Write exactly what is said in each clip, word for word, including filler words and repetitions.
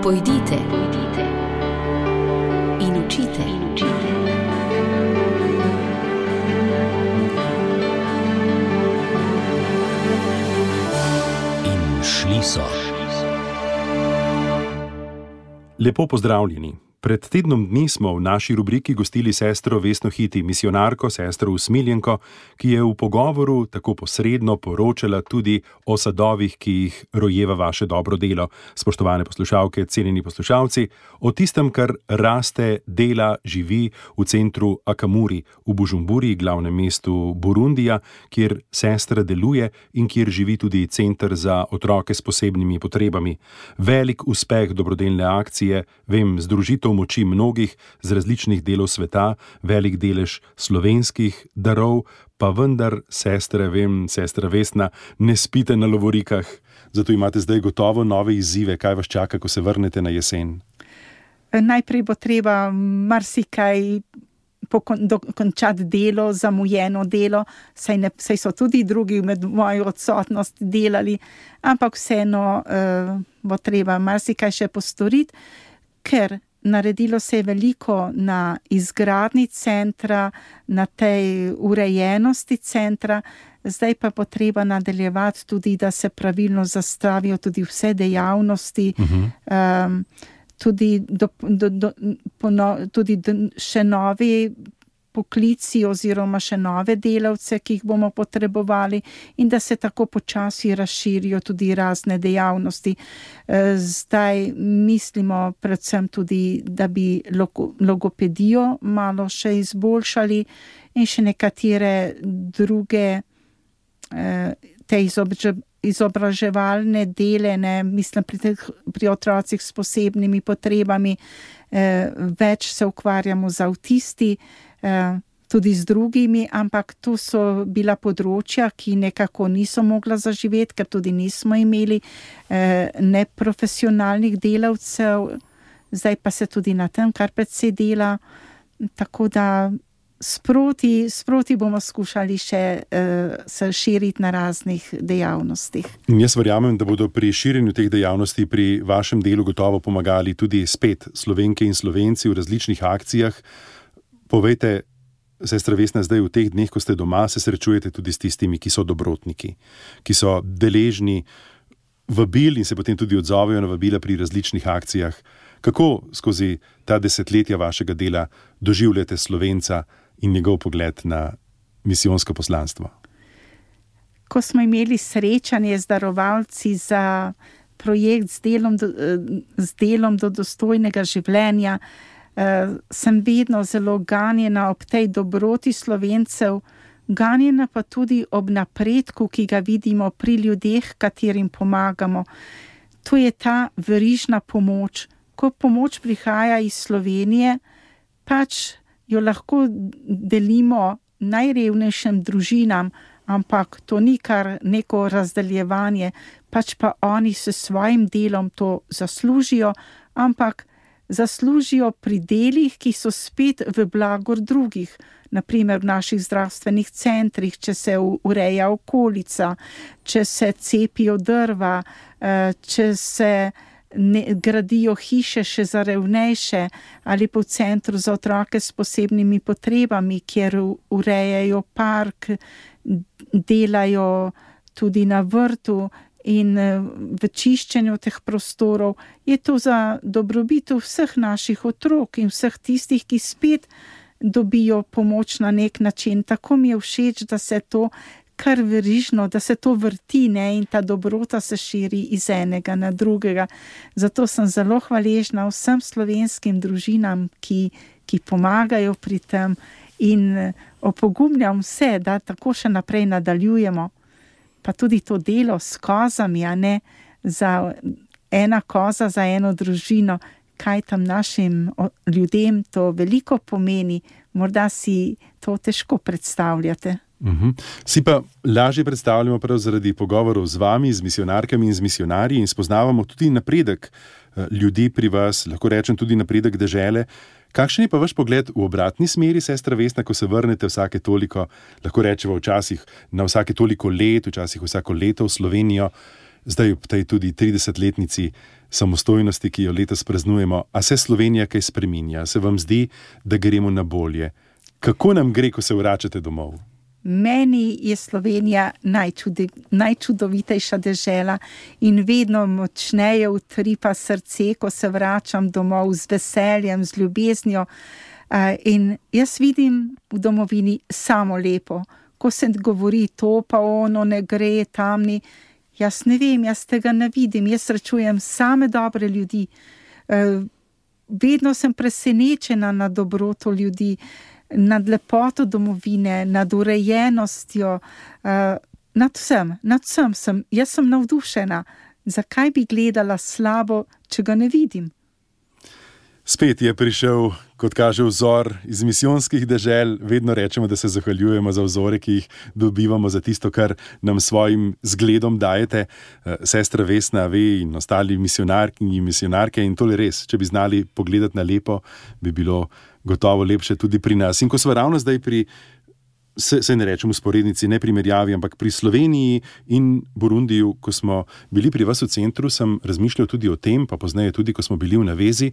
Pojdite, pojdite in učite, in učite. In šli so. Lepo pozdravljeni. Pred tednom dni smo v naši rubriki gostili sestro Vesno Hiti, misijonarko, sestro Usmiljenko, ki je v pogovoru tako posredno poročala tudi o sadovih, ki jih rojeva vaše dobro delo. Spoštovane poslušalke, cenjeni poslušalci, o tistem, kar raste, dela, živi v centru Akamuri v Bujumburi, glavnem mestu Burundija, kjer sestra deluje in kjer živi tudi center za otroke s posebnimi potrebami. Velik uspeh dobrodelne akcije, vem, združitev moči mnogih z različnih delov sveta, velik delež slovenskih darov, pa vendar, sestre, vem, sestra Vesna, ne spite na lovorikah, zato imate zdaj gotovo nove izzive. Kaj vas čaka, ko se vrnete na jesen? Najprej bo treba marsikaj dokončati delo, zamujeno delo, saj, ne, saj so tudi drugi med mojo odsotnost delali, ampak vseeno uh, bo treba marsikaj še postoriti, ker naredilo se je veliko na izgradnji centra, na tej urejenosti centra, zdaj pa bo treba nadaljevati tudi, da se pravilno zastavijo tudi vse dejavnosti, uh-huh. um, tudi, do, do, do, pono, tudi do, še novi poklici oziroma še nove delavce, ki jih bomo potrebovali, in da se tako počasi razširijo tudi razne dejavnosti. Zdaj mislimo predvsem tudi, da bi logopedijo malo še izboljšali in še nekatere druge te izobraževalne dele, ne, mislim pri, teh, pri otrocih s posebnimi potrebami, več se ukvarjamo z avtisti, tudi z drugimi, ampak to so bila področja, ki nekako niso mogla zaživeti, ker tudi nismo imeli neprofesionalnih delavcev, zdaj pa se tudi na tem kar precej dela, tako da sproti, sproti bomo skušali še se širiti na raznih dejavnostih. Jaz verjamem, da bodo pri širjenju teh dejavnosti pri vašem delu gotovo pomagali tudi spet Slovenke in Slovenci v različnih akcijah. Povejte, sestra Vesna, zdaj v teh dneh, ko ste doma, se srečujete tudi s tistimi, ki so dobrotniki, ki so deležni vabil in se potem tudi odzovejo na vabila pri različnih akcijah. Kako skozi ta desetletja vašega dela doživljate Slovenca in njegov pogled na misijonsko poslanstvo? Ko smo imeli srečanje z darovalci za projekt z delom do, z delom do dostojnega življenja, Uh, sem vedno zelo ganjena ob tej dobroti Slovencev, ganjena pa tudi ob napredku, ki ga vidimo pri ljudeh, katerim pomagamo. To je ta verižna pomoč. Ko pomoč prihaja iz Slovenije, pač jo lahko delimo najrevnejšim družinam, ampak to ni kar neko razdeljevanje, pač pa oni s svojim delom to zaslužijo, ampak zaslužijo pri delih, ki so spet v blagor drugih, naprimer v naših zdravstvenih centrih, če se ureja okolica, če se cepijo drva, če se ne, gradijo hiše še za revnejše, ali pa v centru za otroke s posebnimi potrebami, kjer urejajo park, delajo tudi na vrtu, in v čiščenju teh prostorov, je to za dobrobit vseh naših otrok in vseh tistih, ki spet dobijo pomoč na nek način. Tako mi je všeč, da se to kar verižno, da se to vrti, ne, in ta dobrota se širi iz enega na drugega. Zato sem zelo hvaležna vsem slovenskim družinam, ki, ki pomagajo pri tem, in opogumljam vse, da tako še naprej nadaljujemo. Pa tudi to delo s kozami, a ne, za ena koza za eno družino, kaj tam našim ljudem to veliko pomeni, morda si to težko predstavljate. Uh-huh. Si pa lažje predstavljamo prav zaradi pogovorov z vami, z misijonarkami in z misijonarji, in spoznavamo tudi napredek ljudi pri vas, lahko rečem tudi napredek dežele. Kakšen je pa vaš pogled v obratni smeri, sestra Vesna, ko se vrnete vsake toliko, lahko rečemo včasih na vsake toliko let, včasih vsako leto v Slovenijo, zdaj ob tej tudi tridesetletnici samostojnosti, ki jo letos praznujemo. A se Slovenija kaj spreminja? Se vam zdi, da gremo na bolje? Kako nam gre, ko se vračate domov? Meni je Slovenija najčudi, najčudovitejša dežela in vedno močneje utripa srce, ko se vračam domov z veseljem, z ljubeznijo. In jaz vidim v domovini samo lepo. Ko se govori to, pa ono ne gre, tamni, jaz ne vem, jaz tega ne vidim. Jaz srečujem same dobre ljudi. Vedno sem presenečena nad dobroto ljudi, nad lepoto domovine, nad urejenostjo, nad vsem, nad vsem sem. Jaz sem navdušena. Zakaj bi gledala slabo, če ga ne vidim? Spet je prišel, kot kaže, vzor iz misijonskih dežel. Vedno rečemo, da se zahvaljujemo za vzore, ki jih dobivamo, za tisto, kar nam svojim zgledom dajete. Sestra Vesna, ve in ostali misionarki in misionarke, in tole res, če bi znali pogledati na lepo, bi bilo gotovo lepše tudi pri nas. In ko smo ravno zdaj pri, se, se ne rečem usporednici, ne primerjavi, ampak pri Sloveniji in Burundiju, ko smo bili pri vas v centru, sem razmišljal tudi o tem, pa pozneje tudi, ko smo bili v navezi,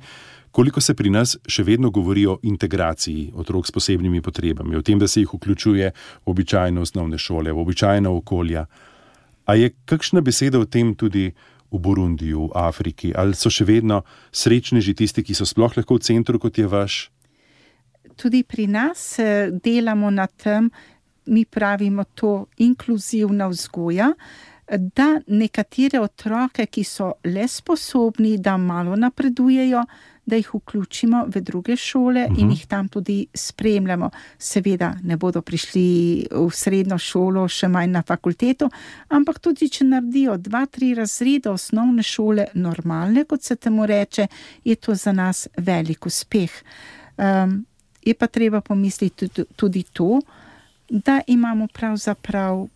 koliko se pri nas še vedno govori o integraciji otrok s posebnimi potrebami, o tem, da se jih vključuje v običajne osnovne šole, v običajna okolja. A je kakšna beseda o tem tudi v Burundiju, v Afriki? Ali so še vedno srečneži tisti, ki so sploh lahko v centru, kot je vaš? Tudi pri nas delamo na tem, mi pravimo to inkluzivna vzgoja, da nekatere otroke, ki so le sposobni, da malo napredujejo, da jih vključimo v druge šole uh-huh. in jih tam tudi spremljamo. Seveda ne bodo prišli v srednjo šolo, še manj na fakulteto, ampak tudi, če naredijo dva, tri razrede osnovne šole normalne, kot se temu reče, je to za nas velik uspeh. Um, je pa treba pomisliti tudi to, da imamo pravzaprav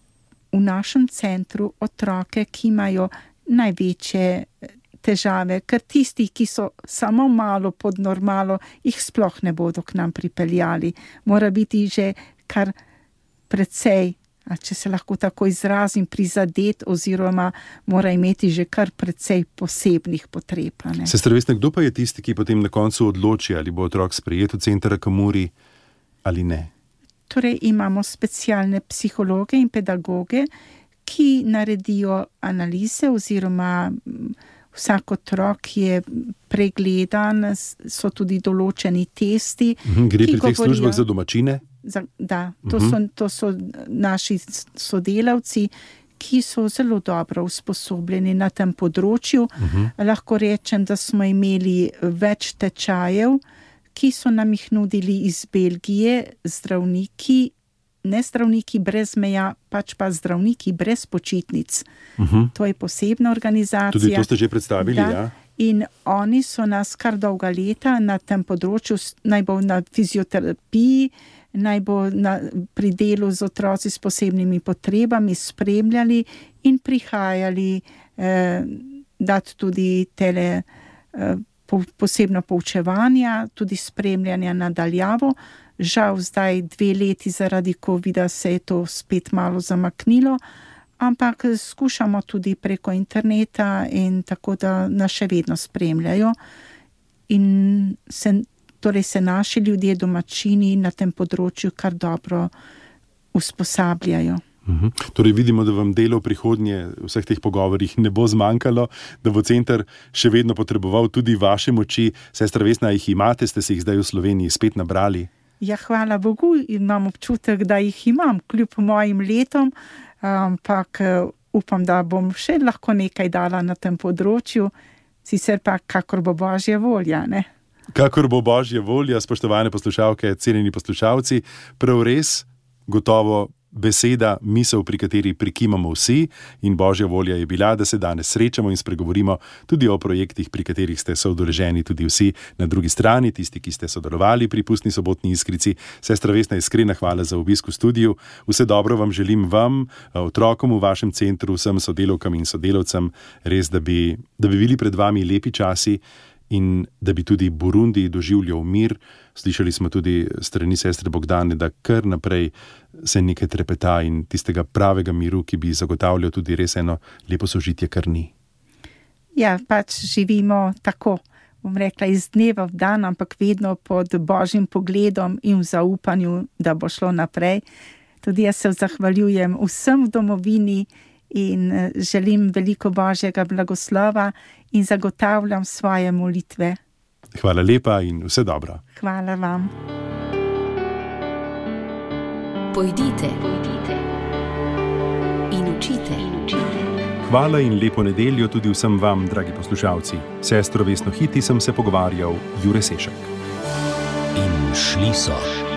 v našem centru otroke, ki imajo največje težave, ker tisti, ki so samo malo pod normalo, jih sploh ne bodo k nam pripeljali. Mora biti že kar precej, a če se lahko tako izrazim, prizadet oziroma mora imeti že kar precej posebnih potreb. Sestra Vesna, kdo pa je tisti, ki potem na koncu odloči, ali bo otrok sprejet v center Akamuri ali ne? Torej imamo specialne psihologe in pedagoge, ki naredijo analize oziroma vsak otrok je pregledan, so tudi določeni testi. Gre pri teh službah za domačine? Za, da, to, uh-huh. so, to so naši sodelavci, ki so zelo dobro usposobljeni na tem področju. Uh-huh. Lahko rečem, da smo imeli več tečajev, ki so nam jih nudili iz Belgije, zdravniki, ne zdravniki brez meja, pač pa zdravniki brez počitnic. Uh-huh. To je posebna organizacija. Tudi to ste že predstavili, da, ja? In oni so nas kar dolga leta na tem področju, naj bo na fizioterapiji, naj bo na, pri delu z otroci s posebnimi potrebami spremljali in prihajali eh, dati tudi tele eh, po, posebno poučevanja, tudi spremljanja nadaljavo. Žal zdaj dve leti zaradi covida se je to spet malo zamaknilo, ampak skušamo tudi preko interneta in tako, da nas še vedno spremljajo in se, torej se naši ljudje, domačini na tem področju kar dobro usposabljajo. Uhum. Torej vidimo, da vam delo v prihodnje v vseh teh pogovorih ne bo zmanjkalo, da bo center še vedno potreboval tudi vaše moči. Sestra Vesna, jih imate, ste se jih zdaj v Sloveniji spet nabrali? Ja, hvala Bogu, imam občutek, da jih imam, kljub mojim letom, ampak upam, da bom še lahko nekaj dala na tem področju, sicer pa kakor bo Božja volja, ne? Kakor bo Božja volja, spoštovane poslušalke, cenjeni poslušalci, prav res, gotovo beseda, misel, pri kateri prikimamo vsi, in Božja volja je bila, da se danes srečamo in spregovorimo tudi o projektih, pri katerih ste soudeleženi tudi vsi na drugi strani, tisti, ki ste sodelovali pri Pustni sobotni iskrici. Sestra Vesna, iskrena hvala za obisk v studiu. Vse dobro vam želim, vam, otrokom v vašem centru, vsem sodelavkam in sodelavcem, res, da bi, da bi bili pred vami lepi časi in da bi tudi Burundi doživljal mir. Slišali smo tudi strani sestre Bogdane, da kar naprej se nekaj trepeta in tistega pravega miru, ki bi zagotavljal tudi res eno lepo sožitje, kar ni. ja, pač živimo tako, bom rekla, iz dneva v dan, ampak vedno pod Božjim pogledom in v zaupanju, da bo šlo naprej. Tudi jaz se zahvaljujem vsem v domovini in želim veliko Božjega blagoslova in zagotavljam svoje molitve. Hvala lepa in vse dobro. Hvala vam. Pojdite, pojdite in učite, in učite. Hvala in lepo nedeljo tudi vsem vam, dragi poslušalci. Sestro Vesno Hiti sem se pogovarjal Jure Sešek. In šli so.